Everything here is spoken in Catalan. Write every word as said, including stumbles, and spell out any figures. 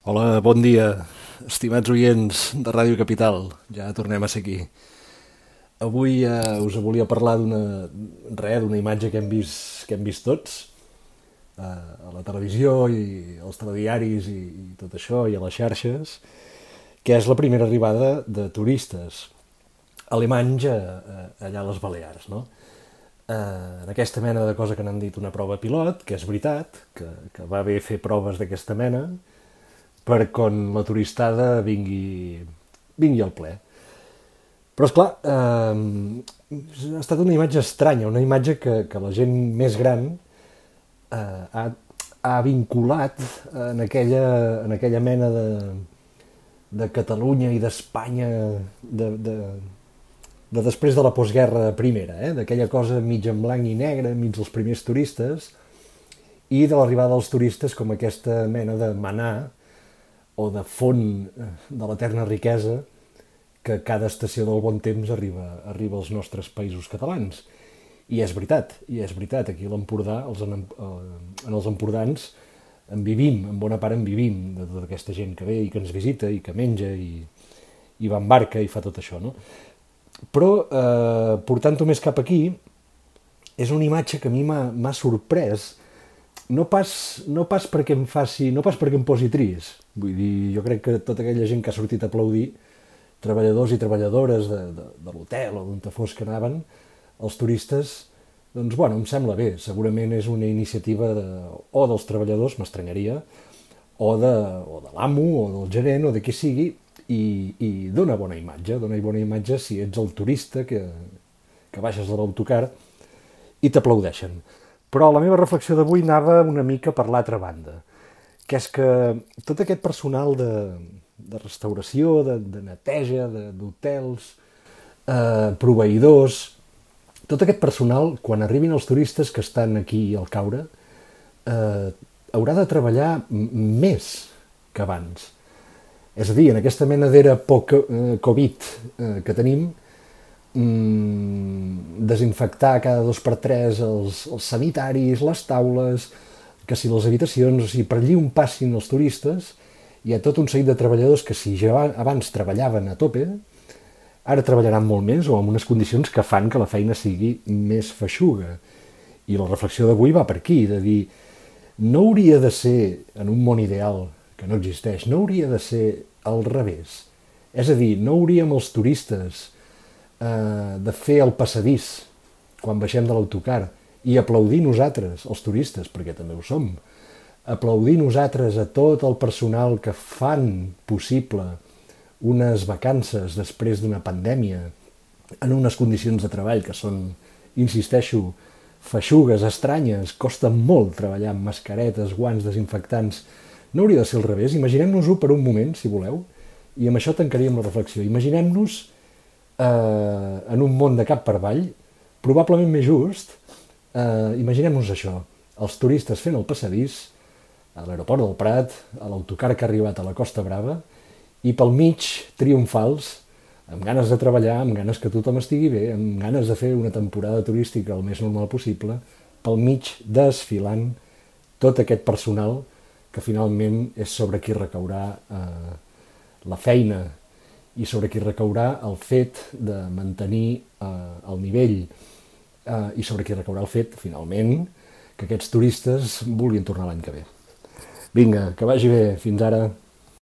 Hola, bon dia, estimats oients de Ràdio Capital. Ja tornem a ser aquí. Avui eh, us volia parlar d'una res, d'una imatge que hem vist, que hem vist tots eh, a la televisió i als telediaris i, i tot això, i a les xarxes, que és la primera arribada de turistes alemanys a, a, allà a les Balears, no? Eh, en aquesta mena de cosa que n'han dit una prova pilot, que és veritat, que, que va bé fer proves d'aquesta mena, per quan la turistada vingui, vingui al ple. Però, esclar, eh, ha estat una imatge estranya, una imatge que, que la gent més gran eh, ha, ha vinculat en aquella, en aquella mena de, de Catalunya i d'Espanya de, de, de després de la postguerra primera, eh? D'aquella cosa mig en blanc i negre, mig dels primers turistes, i de l'arribada dels turistes com aquesta mena de manà o de font de l'eterna riquesa que cada estació del bon temps arriba, arriba als nostres països catalans. I és veritat, i és veritat, aquí a l'Empordà, els, en, en els empordans, en vivim, en bona part en vivim, de tota aquesta gent que ve i que ens visita i que menja i, i va en barca i fa tot això, no? Però, eh, portant-ho més cap aquí, és una imatge que a mi m'ha sorprès, no pas, no pas perquè em faci, no pas perquè em posi trist. Vull dir, jo crec que tota aquella gent que ha sortit a aplaudir, treballadors i treballadores de, de, de l'hotel o d'on fos que anaven, els turistes, doncs, bueno, em sembla bé. Segurament és una iniciativa de, o dels treballadors, m'estranyaria, o de, o de l'amo, o del gerent, o de qui sigui, i, i dona bona imatge. Dona bona imatge si ets el turista que, que baixes de l'autocar i t'aplaudeixen. Però la meva reflexió d'avui anava una mica per l'altra banda, que és que tot aquest personal de, de restauració, de, de neteja, d'hotels, eh, proveïdors, tot aquest personal, quan arribin els turistes que estan aquí al Caure, eh, haurà de treballar més que abans. És a dir, en aquesta mena d'era poc-Covid eh, que tenim, desinfectar cada dos per tres els, els sanitaris, les taules, que si les habitacions, o sigui, per allí on passin els turistes, hi ha tot un seguit de treballadors que si ja abans treballaven a tope, ara treballaran molt més o en unes condicions que fan que la feina sigui més feixuga. I la reflexió d'avui va per aquí, de dir, no hauria de ser, en un món ideal que no existeix, no hauria de ser al revés. És a dir, no hauríem els turistes de fer el passadís quan baixem de l'autocar i aplaudir nosaltres, els turistes, perquè també ho som, aplaudir nosaltres a tot el personal que fan possible unes vacances després d'una pandèmia en unes condicions de treball que són, insisteixo, feixugues, estranyes, costa molt treballar amb mascaretes, guants, desinfectants. No hauria de ser al revés. Imaginem-nos-ho per un moment, si voleu, i amb això tancaríem la reflexió. Imaginem-nos Eh, en un món de cap per avall, probablement més just, eh, imaginem-nos això, els turistes fent el passadís a l'aeroport del Prat, a l'autocar que ha arribat a la Costa Brava, i pel mig triomfals, amb ganes de treballar, amb ganes que tothom estigui bé, amb ganes de fer una temporada turística el més normal possible, pel mig desfilant tot aquest personal que finalment és sobre qui recaurà eh, la feina i sobre qui recaurà el fet de mantenir eh, el nivell eh, i sobre qui recaurà el fet, finalment, que aquests turistes vulguin tornar l'any que ve. Vinga, que vagi bé. Fins ara.